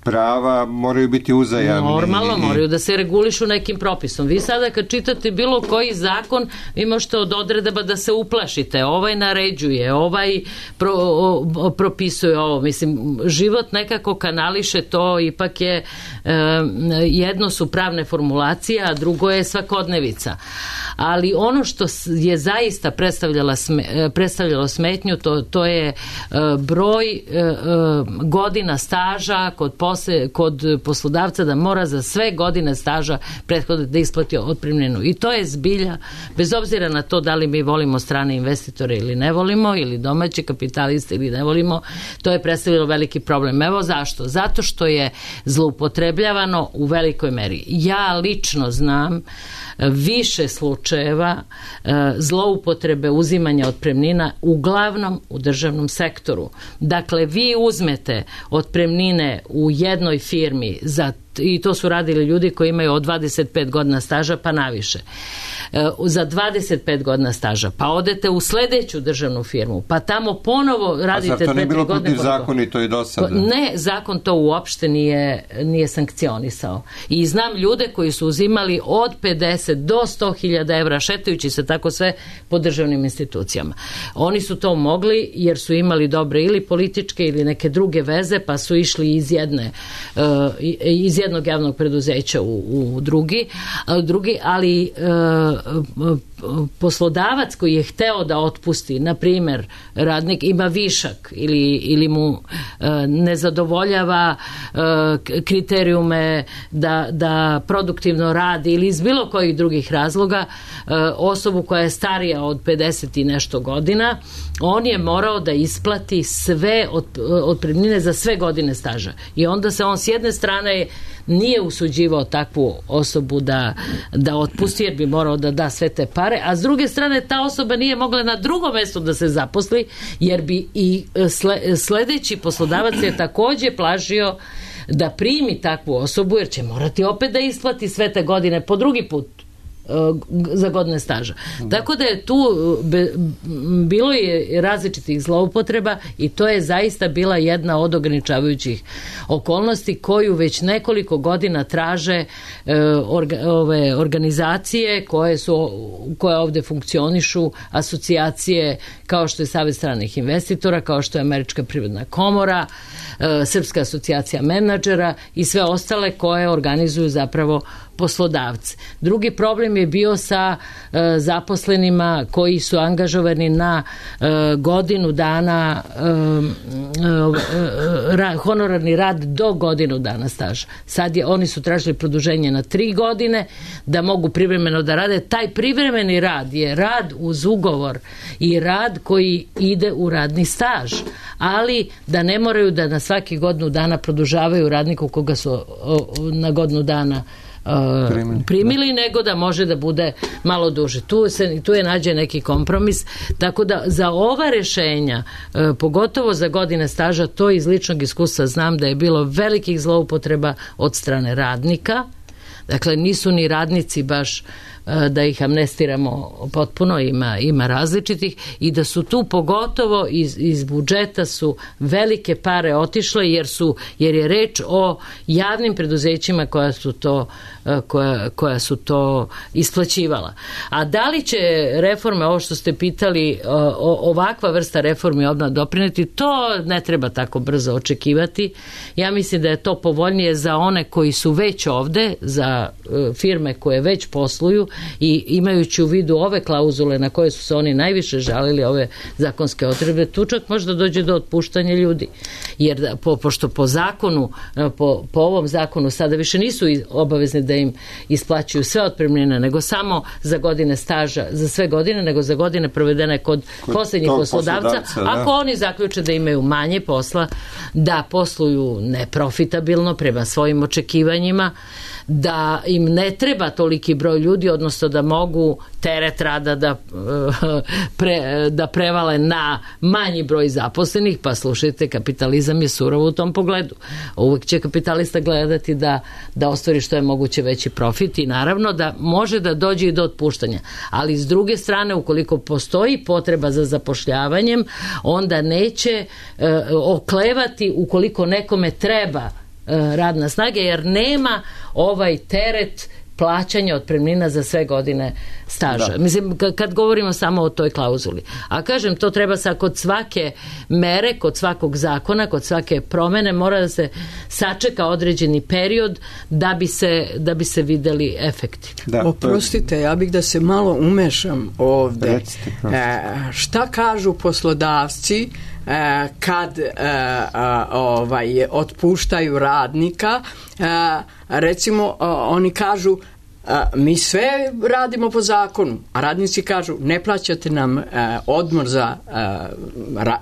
Speaker 2: prava moraju biti uzajamni.
Speaker 7: Normalno, moraju da se regulišu nekim propisom. Vi sada kad čitate bilo koji zakon, vi možete od odredaba da se uplašite. Ovaj naređuje, ovaj pro, o, propisuje ovo. Mislim, život nekako kanališe to, ipak je e, jedno su pravne formulacije, a drugo je svakodnevica. Ali ono što je zaista predstavljala sme, predstavljalo smetnju, to, to je e, broj e, godina staža kod posle, kod poslodavca, da mora za sve godine staža prethodno da isplati otpremninu. I to je zbilja, bez obzira na to da li mi volimo strane investitore ili ne volimo, ili domaće kapitaliste ili ne volimo, to je predstavljalo veliki problem. Evo zašto? Zato što je zloupotrebljavano u velikoj meri. Ja lično znam više slučajeva zloupotrebe uzimanja otpremnina, uglavnom u državnom sektoru. Dakle, vi uzmete otpremnine u jednoj firmi za, i to su radili ljudi koji imaju od dvadeset pet godina staža pa naviše, za dvadeset pet godina staža, pa odete u sledeću državnu firmu, pa tamo ponovo radite...
Speaker 2: A zar to ne bilo protiv zakonito i do sada?
Speaker 7: Ne, zakon to uopšte nije, nije sankcionisao. I znam ljude koji su uzimali od pedeset do sto hiljada evra, šetajući se tako sve po državnim institucijama. Oni su to mogli jer su imali dobre ili političke ili neke druge veze, pa su išli iz jedne iz jednog javnog preduzeća u, u drugi, drugi, ali poslodavac koji je hteo da otpusti, na primjer, radnik ima višak ili, ili mu e, ne zadovoljava e, kriterijume da, da produktivno radi ili iz bilo kojih drugih razloga, e, osobu koja je starija od pedeset i nešto godina, on je morao da isplati sve od, otpremnine za sve godine staža. I onda se on s jedne strane nije usuđivao takvu osobu da, da otpusti, jer bi morao da da sve te pare, a s druge strane ta osoba nije mogla na drugom mestu da se zaposli, jer bi i sledeći poslodavac je takođe plažio da primi takvu osobu, jer će morati opet da isplati sve te godine po drugi put za godine staža. Tako da je tu be, bilo je različitih zloupotreba i to je zaista bila jedna od ograničavajućih okolnosti koju već nekoliko godina traže e, orga, ove organizacije koje su koje ovde funkcionišu, asocijacije kao što je Savet stranih investitora, kao što je Američka privredna komora, e, Srpska asocijacija menadžera i sve ostale koje organizuju zapravo poslodavci. Drugi problem je bio sa e, zaposlenima koji su angažovani na e, godinu dana e, e, ra, honorarni rad do godinu dana staža. Sad je, oni su tražili produženje na tri godine da mogu privremeno da rade. Taj privremeni rad je rad uz ugovor i rad koji ide u radni staž, ali da ne moraju da na svaki godinu dana produžavaju radniku koga su o, o, na godinu dana uh,
Speaker 2: primili,
Speaker 7: primili nego da može da bude malo duže. Tu, se, tu je nađe neki kompromis, tako da za ova rešenja, uh, pogotovo za godine staža, to iz ličnog iskustva znam da je bilo velikih zloupotreba od strane radnika. Dakle, nisu ni radnici baš da ih amnestiramo potpuno, ima, ima različitih, i da su tu pogotovo iz, iz budžeta su velike pare otišle jer su, jer je reč o javnim preduzećima koja su to koja, koja su to isplaćivala. A da li će reforme, ovo što ste pitali, o, ovakva vrsta reformi obnova doprineti, to ne treba tako brzo očekivati. Ja mislim da je to povoljnije za one koji su već ovde, za firme koje već posluju, i imajući u vidu ove klauzule na koje su se oni najviše žalili, ove zakonske odredbe, tu čak možda dođe do otpuštanja ljudi. Jer po, pošto po zakonu, po, po ovom zakonu sada više nisu obavezni da im isplaćuju sve otpremnine, nego samo za godine staža, za sve godine, nego za godine provedene kod, kod posljednjih poslodavca. poslodavca Ako da. Oni zaključe da imaju manje posla, da posluju neprofitabilno prema svojim očekivanjima, da im ne treba toliki broj ljudi, odnosno da mogu teret rada da, pre, da prevale na manji broj zaposlenih, pa slušajte, kapitalizam je surov u tom pogledu. Uvek će kapitalista gledati da, da ostvari što je moguće veći profit i naravno da može da dođe i do otpuštanja. Ali s druge strane, ukoliko postoji potreba za zapošljavanjem, onda neće e, oklevati ukoliko nekome treba radna snaga, jer nema ovaj teret plaćanja otpremnina za sve godine staža. Da. Mislim, kad govorimo samo o toj klauzuli. A kažem, to treba sa kod svake mere, kod svakog zakona, kod svake promene, mora da se sačeka određeni period da bi se, da bi se videli efekti.
Speaker 9: Da, oprostite, ja bih da se malo umešam ovde.
Speaker 2: Recite,
Speaker 9: e, šta kažu poslodavci E, kad e, a, ovaj, otpuštaju radnika, e, recimo a, oni kažu a, mi sve radimo po zakonu, a radnici kažu ne plaćate nam a, odmor za a, ra,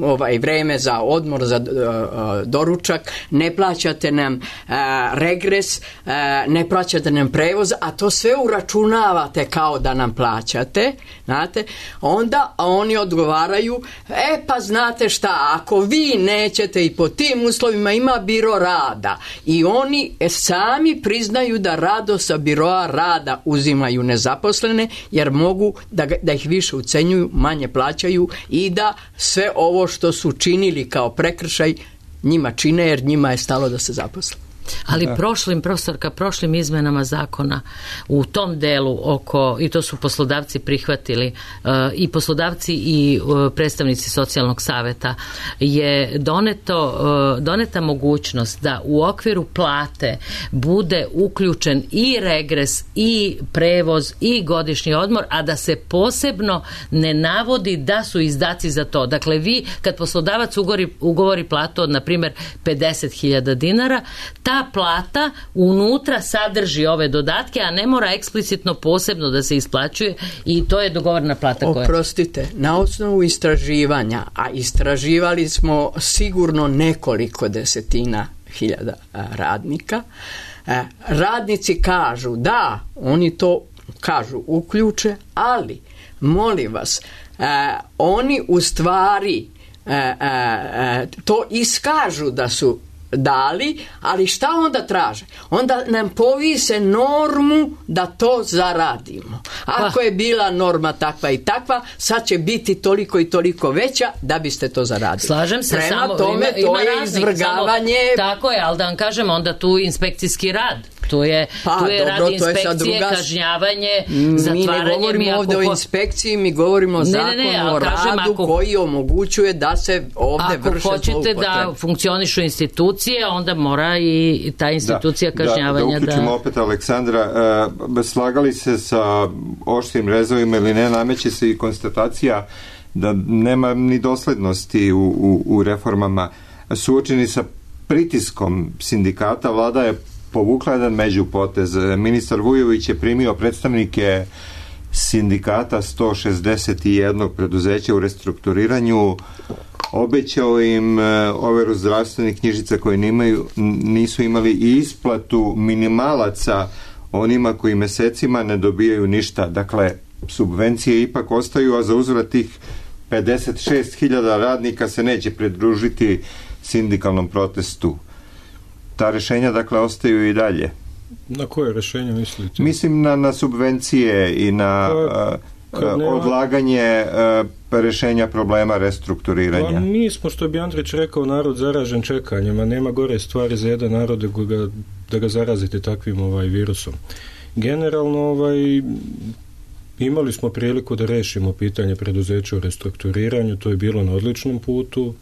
Speaker 9: ovaj, vreme za odmor za a, doručak, ne plaćate nam a, regres, a, ne plaćate nam prevoz, a to sve uračunavate kao da nam plaćate, znate, onda oni odgovaraju, e pa znate šta, ako vi nećete i po tim uslovima, ima biro rada, i oni sami priznaju da rado sa biroa rada uzimaju nezaposlene, jer mogu da, da ih više ucenjuju, manje plaćaju i da sve ovo što su činili kao prekršaj njima čine, jer njima je stalo da se zaposle.
Speaker 7: Ali da. prošlim, profesorka, prošlim izmenama zakona u tom delu oko, i to su poslodavci prihvatili, uh, i poslodavci i uh, predstavnici socijalnog saveta, je doneto, uh, doneta mogućnost da u okviru plate bude uključen i regres i prevoz i godišnji odmor, a da se posebno ne navodi da su izdaci za to. Dakle, vi kad poslodavac ugovori, ugovori platu od, na primjer, pedeset hiljada dinara, ta plata unutra sadrži ove dodatke, a ne mora eksplicitno posebno da se isplaćuje, i to je dogovorna plata koja...
Speaker 9: Oprostite, na osnovu istraživanja, a istraživali smo sigurno nekoliko desetina hiljada radnika, radnici kažu da, oni to kažu uključe, ali molim vas, oni u stvari to iskažu da su dali, ali šta onda traže? Onda nam povise normu da to zaradimo. Ako je bila norma takva i takva, sad će biti toliko i toliko veća da biste to zaradili.
Speaker 7: Slažem se,
Speaker 9: prema
Speaker 7: samo
Speaker 9: tome
Speaker 7: ima,
Speaker 9: to
Speaker 7: ima
Speaker 9: je
Speaker 7: raznih,
Speaker 9: izvrgavanje.
Speaker 7: Samo, tako je, ali da vam kažem, onda tu inspekcijski rad. Tu je,
Speaker 9: pa,
Speaker 7: tu je
Speaker 9: dobro,
Speaker 7: rad inspekcije,
Speaker 9: druga...
Speaker 7: kažnjavanje,
Speaker 9: mi
Speaker 7: zatvaranje.
Speaker 9: Mi ne govorimo ovde ko... o inspekciji, mi govorimo o zakonu ne, ne, ne, o kažem, radu ako... koji omogućuje da se ovde vrše zloupotrebe. Ako hoćete da funkcionišu institucije, onda mora i ta institucija
Speaker 2: da,
Speaker 9: kažnjavanja
Speaker 2: da... Da, da uključimo da... opet Aleksandra, uh, slagali se sa oštrim rezovima ili ne, nameće se i konstatacija da nema ni doslednosti u, u, u reformama. Suočeni sa pritiskom sindikata, vlada je povukla jedan međupotez. Ministar Vujović je primio predstavnike sindikata sto šezdeset jedan preduzeća u restrukturiranju obećao im overu zdravstvenih knjižica koje nimaju, nisu imali i isplatu minimalaca onima koji mesecima ne dobijaju ništa. Dakle, subvencije ipak ostaju, a za uzvrat tih pedeset šest hiljada radnika se neće pridružiti sindikalnom protestu. Ta rešenja, dakle, ostaju i dalje.
Speaker 10: Na koje rešenje mislite?
Speaker 2: Mislim na, na subvencije i na pa, uh, nema... odlaganje uh, rešenja problema restrukturiranja.
Speaker 10: Pa mi smo, što bi Andrić rekao, narod zaražen čekanjem, a nema gore stvari za jedan narod da ga, da ga zarazite takvim ovaj, virusom. Generalno, ovaj, imali smo priliku da rešimo pitanje preduzeća u restrukturiranju, to je bilo na odličnom putu.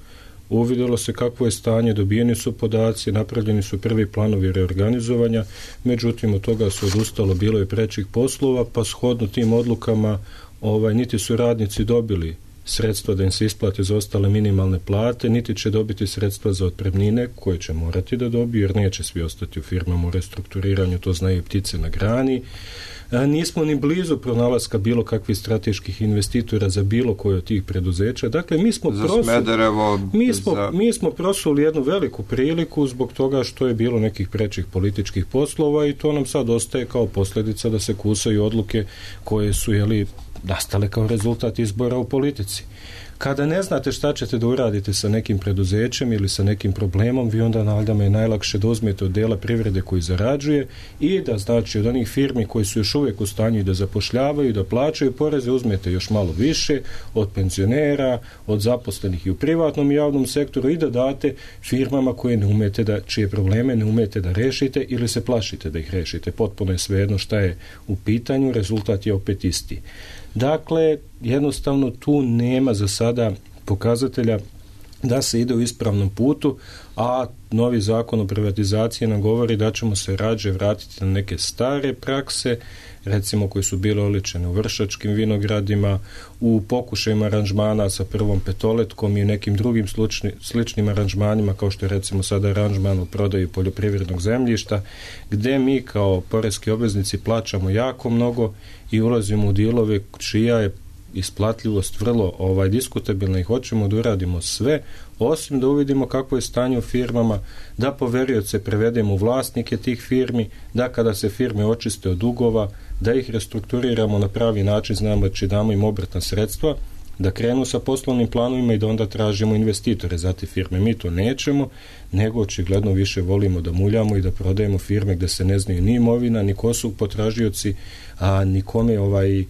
Speaker 10: Uvidjelo se kakvo je stanje, dobijeni su podaci, napravljeni su prvi planovi reorganizovanja, međutim od toga su odustalo, bilo je prečih poslova, pa shodno tim odlukama ovaj, niti su radnici dobili sredstva da im se isplate za ostale minimalne plate, niti će dobiti sredstva za otpremnine koje će morati da dobiju, jer neće svi ostati u firmama u restrukturiranju, to znaju ptice na grani. A nismo ni blizu pronalaska bilo kakvih strateških investitora za bilo koje od tih preduzeća. Dakle, mi smo,
Speaker 2: za
Speaker 10: prosuli,
Speaker 2: Smederevo,
Speaker 10: mi smo,
Speaker 2: za...
Speaker 10: mi smo prosuli jednu veliku priliku zbog toga što je bilo nekih prečih političkih poslova i to nam sad ostaje kao posljedica da se kusaju odluke koje su jeli, nastale kao rezultat izbora u politici. Kada ne znate šta ćete da uradite sa nekim preduzećem ili sa nekim problemom, vi onda naljama je najlakše da uzmete od dela privrede koji zarađuje i da, znači, od onih firmi koji su još uvijek u stanju da zapošljavaju, da plaćaju poreze, uzmete još malo više od penzionera, od zaposlenih i u privatnom i javnom sektoru i da date firmama koje ne umete da, čije probleme ne umete da rešite ili se plašite da ih rešite. Potpuno je svejedno šta je u pitanju, rezultat je opet isti. Dakle, jednostavno tu nema za sada pokazatelja da se ide u ispravnom putu, a novi zakon o privatizaciji nam govori da ćemo se rađe vratiti na neke stare prakse, recimo koje su bile oličene u Vršačkim vinogradima, u pokušajima aranžmana sa Prvom petoletkom i nekim drugim slučni, sličnim aranžmanima, kao što je recimo sada aranžman u prodaju poljoprivrednog zemljišta, gde mi kao poreski obveznici plaćamo jako mnogo i ulazimo u dilove čija je isplatljivost vrlo ovaj, diskutabilna i hoćemo da uradimo sve, osim da uvidimo kako je stanje u firmama, da poverioce prevedemo u vlasnike tih firmi, da kada se firme očiste od dugova, da ih restrukturiramo na pravi način, znamo da damo im obrtna sredstva, da krenu sa poslovnim planovima i da onda tražimo investitore za te firme. Mi to nećemo, nego očigledno više volimo da muljamo i da prodajemo firme gde se ne znaju ni imovina, ni ko su potražioci, a nikome ovaj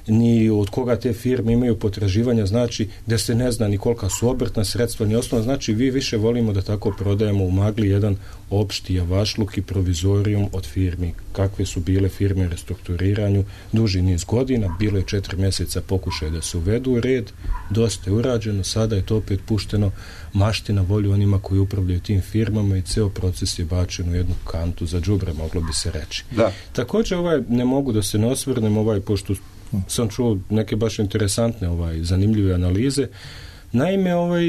Speaker 10: ni od koga te firme imaju potraživanja, znači da se ne zna ni kolika su obrtna sredstva, ni osnovna, znači vi više volimo da tako prodajemo u magli jedan opšti javašluk i provizorijum od firmi, kakve su bile firme u restrukturiranju duži niz godina, bilo je četiri mjeseca pokušaj da se uvedu u red, dosta je urađeno, sada je to opet pušteno mašti na volju onima koji upravljaju tim firmama i ceo proces je bačen u jednu kantu za đubre, moglo bi se reći.
Speaker 2: Da.
Speaker 10: Također ovaj, ne mogu da se ne osvrnem, ovaj, pošto sam čuo neke baš interesantne ovaj, zanimljive analize. Naime, ovaj,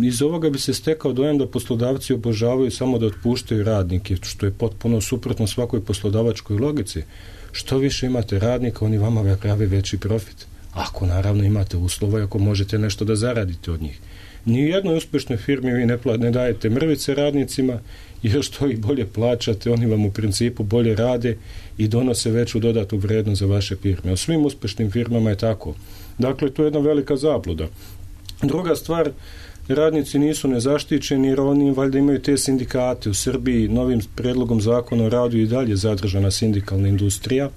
Speaker 10: iz ovoga bi se stekao dojam da poslodavci obožavaju samo da otpuštaju radnike, što je potpuno suprotno svakoj poslodavačkoj logici. Što više imate radnika, oni vama prave veći profit. Ako naravno imate uslova i ako možete nešto da zaradite od njih. Ni u jednoj uspešnoj firmi vi ne, pla- ne dajete mrvice radnicima, jer što ih bolje plaćate, oni vam u principu bolje rade i donose veću dodatu vrednost za vaše firme. U svim uspešnim firmama je tako. Dakle, to je jedna velika zabluda. Druga stvar, radnici nisu nezaštićeni jer oni valjda imaju te sindikate. U Srbiji novim predlogom zakona o radu i dalje zadržana sindikalna industrija.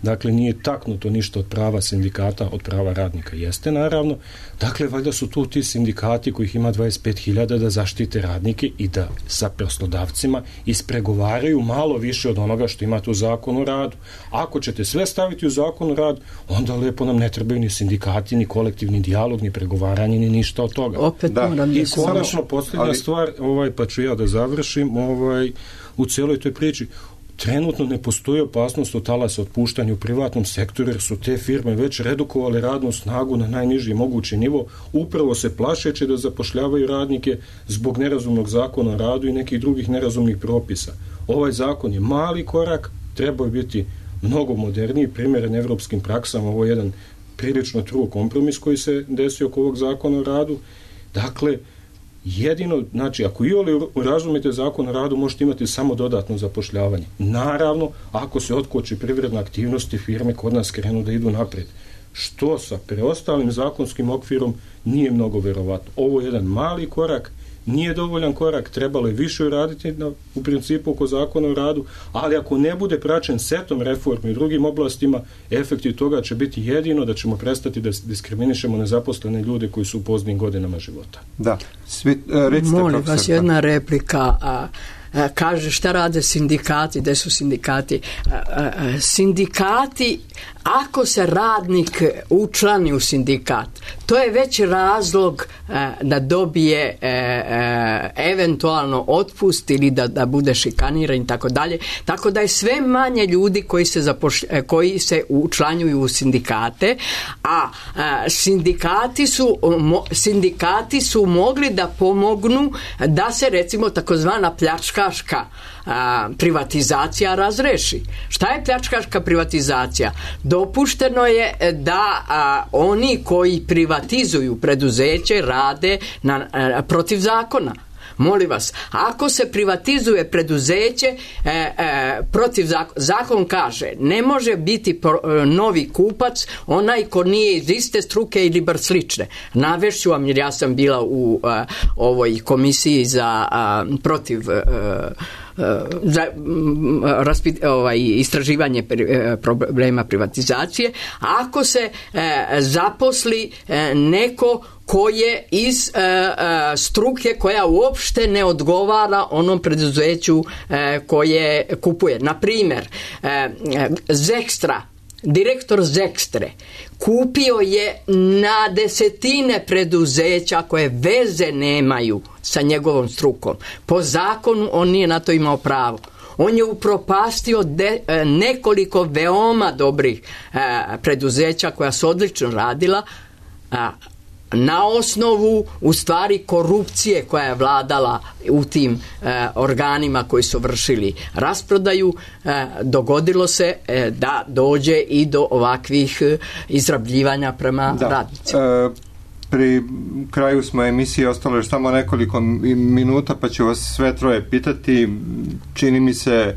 Speaker 10: Dakle, nije taknuto ništa od prava sindikata, od prava radnika. Jeste, naravno. Dakle, valjda su tu ti sindikati kojih ima dvadeset pet hiljada da zaštite radnike i da sa poslodavcima ispregovaraju malo više od onoga što imate u zakonu o radu. Ako ćete sve staviti u zakon o radu, onda lepo nam ne trebaju ni sindikati, ni kolektivni dijalog, ni pregovaranje, ni ništa od toga.
Speaker 9: Opet da. moram
Speaker 10: I konačno, posljednja ali... stvar, ovaj, pa ću ja da završim, ovaj, u cijeloj toj priči, trenutno ne postoji opasnost od talasa otpuštanja u privatnom sektoru jer su te firme već redukovale radnu snagu na najniži mogući nivo, upravo se plašeći da zapošljavaju radnike zbog nerazumnog zakona o radu i nekih drugih nerazumnih propisa. Ovaj zakon je mali korak, treba biti mnogo moderniji, primjeren evropskim praksama, ovo je jedan prilično true kompromis koji se desio oko ovog zakona o radu. Dakle, jedino, znači, ako i oli razumite zakon o radu, možete imati samo dodatno zapošljavanje. Naravno, ako se otkoči privredna aktivnost i firme kod nas krenu da idu naprijed. Što sa preostalim zakonskim okvirom nije mnogo verovatno. Ovo je jedan mali korak, nije dovoljan korak, trebalo je više uraditi na, u principu oko zakona o radu, ali ako ne bude praćen setom reformi u drugim oblastima, efekti toga će biti jedino da ćemo prestati da diskriminišemo nezaposlene ljude koji su u poznim godinama života.
Speaker 2: Da, svi, recite,
Speaker 9: molim vas, jedna replika. A, a, kaže šta rade sindikati, gde su sindikati? A, a, a, sindikati, ako se radnik učlani u sindikat, to je već razlog a, da dobije a, a, eventualno otpust ili da, da bude šikaniran i tako dalje. Tako da je sve manje ljudi koji se, zapošlj, koji se učlanjuju u sindikate, a, a sindikati su, mo, sindikati su mogli da pomognu da se recimo takozvana pljačkaška a, privatizacija razreši. Šta je pljačkaška privatizacija? Dopušteno je da a, oni koji privatizuju preduzeće rade na, a, protiv zakona. Molim vas, ako se privatizuje preduzeće e, e, protiv zakon, zakon kaže ne može biti pro, e, novi kupac onaj ko nije iz iste struke ili bar slične. Navešću vam, jer ja sam bila u a, ovoj komisiji za a, protiv a, za raspit, ovaj, istraživanje problema privatizacije. Ako se e, zaposli e, neko ko je iz e, e, struke koja uopšte ne odgovara onom preduzeću e, koje kupuje. Na primjer, e, Zekstra, direktor Zekstre kupio je na desetine preduzeća koje veze nemaju sa njegovom strukom. Po zakonu on nije na to imao pravo. On je upropastio de, nekoliko veoma dobrih e, preduzeća koja su odlično radila, a, na osnovu u stvari korupcije koja je vladala u tim e, organima koji su vršili rasprodaju, e, dogodilo se e, da dođe i do ovakvih e, izrabljivanja prema da. radnicima.
Speaker 2: E, pri kraju smo emisije, ostalo je samo nekoliko minuta, pa ću vas sve troje pitati. Čini mi se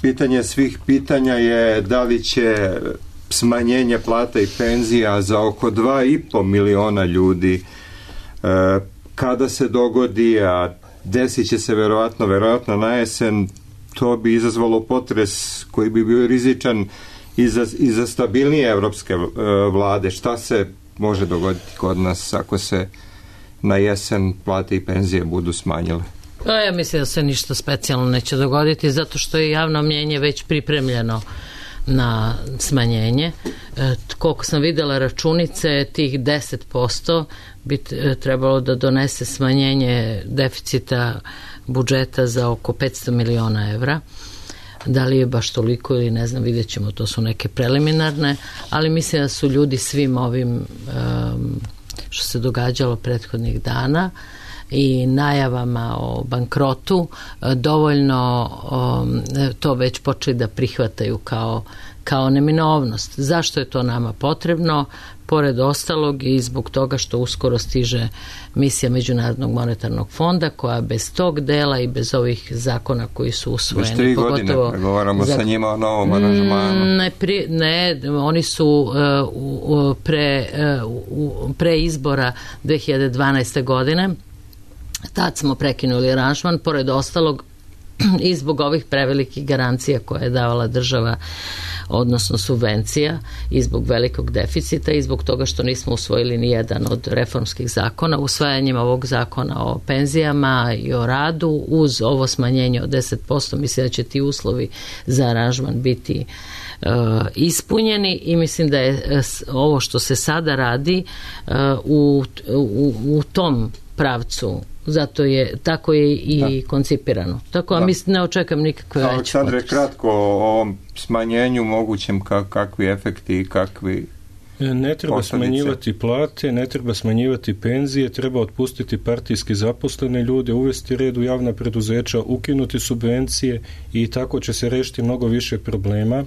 Speaker 2: pitanje svih pitanja je da li će smanjenje plata i penzija za oko dva i po miliona ljudi e, kada se dogodi, a desit će se verovatno, verovatno na jesen, to bi izazvalo potres koji bi bio rizičan i za, i za stabilnije evropske e, vlade. Šta se može dogoditi kod nas ako se na jesen plate i penzije budu smanjile?
Speaker 7: Pa ja mislim da se ništa specijalno neće dogoditi, zato što je javno mnjenje već pripremljeno na smanjenje. E, koliko sam videla računice, tih deset posto bi trebalo da donese smanjenje deficita budžeta za oko petsto miliona evra. Da li je baš toliko ili ne znam, vidjet ćemo, to su neke preliminarne, ali mislim da su ljudi svim ovim um, što se događalo prethodnih dana i najavama o bankrotu dovoljno um, to već počeli da prihvataju kao, kao neminovnost. Zašto je to nama potrebno? Pored ostalog i zbog toga što uskoro stiže misija Međunarodnog monetarnog fonda koja bez tog dela i bez ovih zakona koji su usvojeni.
Speaker 2: Već tri godine pregovaramo za, sa njima o novom aranžmanu.
Speaker 7: Ne, pri, ne, oni su uh, pre, uh, pre izbora dve hiljade dvanaeste. godine, tad smo prekinuli aranžman, pored ostalog i zbog ovih prevelikih garancija koje je davala država, odnosno subvencija, i zbog velikog deficita i zbog toga što nismo usvojili ni jedan od reformskih zakona. Usvajanjem ovog zakona o penzijama i o radu uz ovo smanjenje od deset posto mislim da će ti uslovi za aranžman biti uh, ispunjeni i mislim da je uh, ovo što se sada radi uh, u, u, u tom pravcu. Zato je, tako je i da. koncipirano. Tako, a mislim, ne očekam nikakve veće.
Speaker 2: Aleksandre, kratko o ovom smanjenju mogućem, kakvi efekti i kakvi
Speaker 10: Ne treba
Speaker 2: posljedice.
Speaker 10: Smanjivati plate, ne treba smanjivati penzije, treba otpustiti partijski zaposlene ljude, uvesti red u javna preduzeća, ukinuti subvencije i tako će se rešiti mnogo više problema.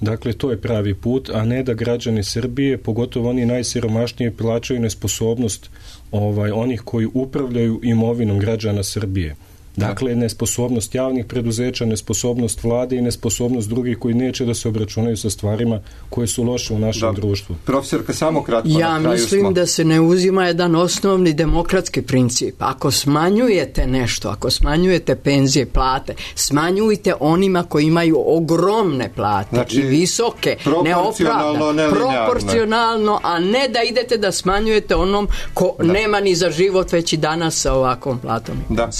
Speaker 10: Dakle, to je pravi put, a ne da građani Srbije, pogotovo oni najsiromašniji, plaćaju nesposobnost ovaj, onih koji upravljaju imovinom građana Srbije. Dakle, nesposobnost javnih preduzeća, nesposobnost vlade i nesposobnost drugih koji neće da se obračunaju sa stvarima koje su loše u našem da. društvu.
Speaker 2: Profesorka, samo kratko
Speaker 9: ja
Speaker 2: na kraju
Speaker 9: mislim
Speaker 2: smo.
Speaker 9: Da se ne uzima jedan osnovni demokratski princip. Ako smanjujete nešto, ako smanjujete penzije, plate, smanjujte onima koji imaju ogromne plate, znači, i visoke,
Speaker 2: proporcionalno,
Speaker 9: neopravdane, proporcionalno, a ne da idete da smanjujete onom ko da. nema ni za život već i danas sa ovakvom platom.
Speaker 2: Da.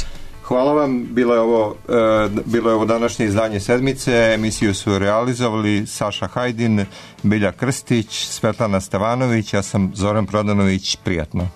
Speaker 2: Hvala vam, bilo je ovo, e, bilo je ovo današnje izdanje Sedmice, emisiju su realizovali Saša Hajdin, Bilja Krstić, Svetlana Stevanović, ja sam Zoran Prodanović, prijatno.